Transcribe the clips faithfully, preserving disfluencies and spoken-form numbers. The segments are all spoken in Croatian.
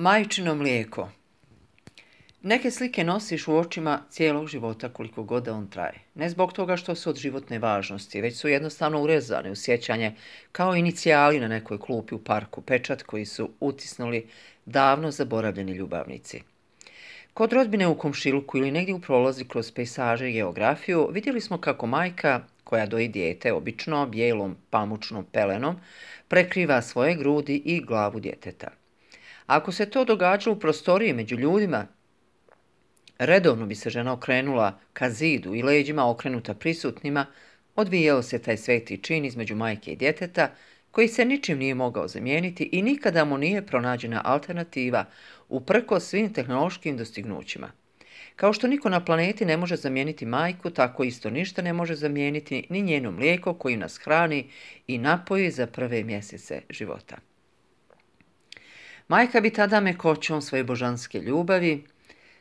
Majčino mlijeko. Neke slike nosiš u očima cijelog života koliko god da on traje. Ne zbog toga što su od životne važnosti, već su jednostavno urezane u sjećanje kao inicijali na nekoj klupi u parku, pečat koji su utisnuli davno zaboravljeni ljubavnici. Kod rodbine u komšiluku ili negdje u prolazi kroz pejsaže i geografiju vidjeli smo kako majka, koja doji dijete obično bijelom pamučnom pelenom, prekriva svoje grudi i glavu djeteta. Ako se to događalo u prostoriji među ljudima, redovno bi se žena okrenula ka zidu i leđima okrenuta prisutnima, odvijao se taj sveti čin između majke i djeteta, koji se ničim nije mogao zamijeniti i nikada mu nije pronađena alternativa uprkos svim tehnološkim dostignućima. Kao što niko na planeti ne može zamijeniti majku, tako isto ništa ne može zamijeniti ni njeno mlijeko koji nas hrani i napoji za prve mjesece života. Majka bi tada mekoćom svoje božanske ljubavi,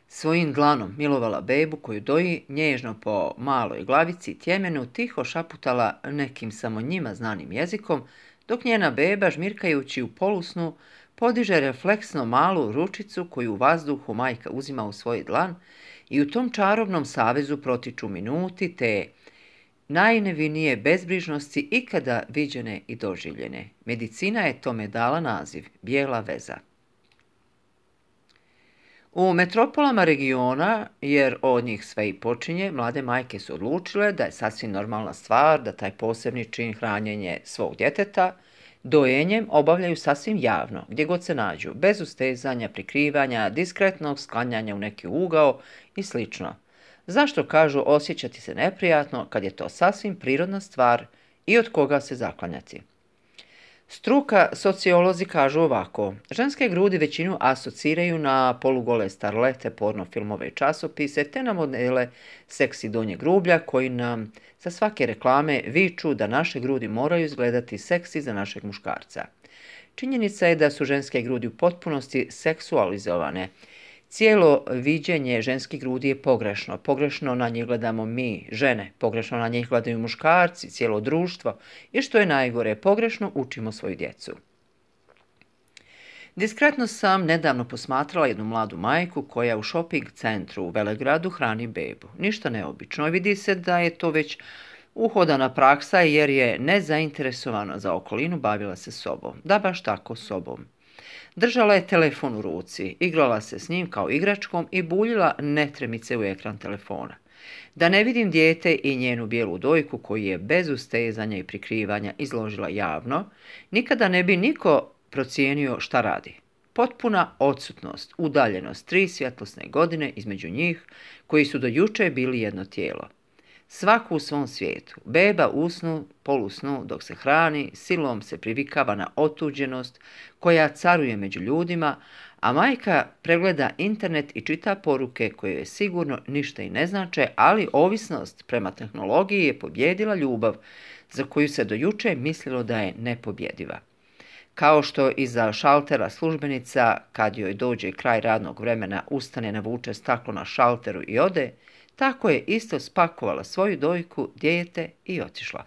svojim dlanom milovala bebu koju doji, nježno po maloj glavici i tjemenu tiho šaputala nekim samo njima znanim jezikom, dok njena beba, žmirkajući u polusnu, podiže refleksno malu ručicu koju u vazduhu majka uzima u svoj dlan i u tom čarobnom savezu protiču minuti te najnevinije bezbrižnosti ikada viđene i doživljene. Medicina je tome dala naziv bijela veza. U metropolama regiona, jer od njih sve i počinje, mlade majke su odlučile da je sasvim normalna stvar da taj posebni čin hranjenje svog djeteta dojenjem obavljaju sasvim javno, gdje god se nađu, bez ustezanja, prikrivanja, diskretnog sklanjanja u neki ugao i sl. Zašto kažu osjećati se neprijatno kad je to sasvim prirodna stvar i od koga se zaklanjati? Struka sociolozi kažu ovako: ženske grudi većinu asociraju na polugole starlete, porno filmove i časopise, te na modele seksi donjeg grublja koji nam za svake reklame viču da naše grudi moraju izgledati seksi za našeg muškarca. Činjenica je da su ženske grudi u potpunosti seksualizovane. Cijelo viđenje ženskih grudi je pogrešno. Pogrešno na njih gledamo mi, žene. Pogrešno na njih gledaju muškarci, cijelo društvo. I što je najgore, pogrešno učimo svoju djecu. Diskretno sam nedavno posmatrala jednu mladu majku koja u shopping centru u Velegradu hrani bebu. Ništa neobično. Vidi se da je to već uhodana praksa jer je nezainteresovana za okolinu bavila se sobom. Da, baš tako, sobom. Držala je telefon u ruci, igrala se s njim kao igračkom i buljila netremice u ekran telefona. Da ne vidim dijete i njenu bijelu dojku koju je bez ustezanja i prikrivanja izložila javno, nikada ne bi niko procijenio šta radi. Potpuna odsutnost, udaljenost, tri svjetlosne godine između njih koji su do juče bili jedno tijelo. Svaku u svom svijetu. Beba usnu, polusnu, dok se hrani, silom se privikava na otuđenost koja caruje među ljudima, a majka pregleda internet i čita poruke koje je sigurno ništa i ne znače, ali ovisnost prema tehnologiji je pobjedila ljubav za koju se do juče mislilo da je nepobjediva. Kao što iza šaltera službenica, kad joj dođe kraj radnog vremena, ustane, navuče staklo na šalteru i ode, tako je isto spakovala svoju dojku, dijete i otišla.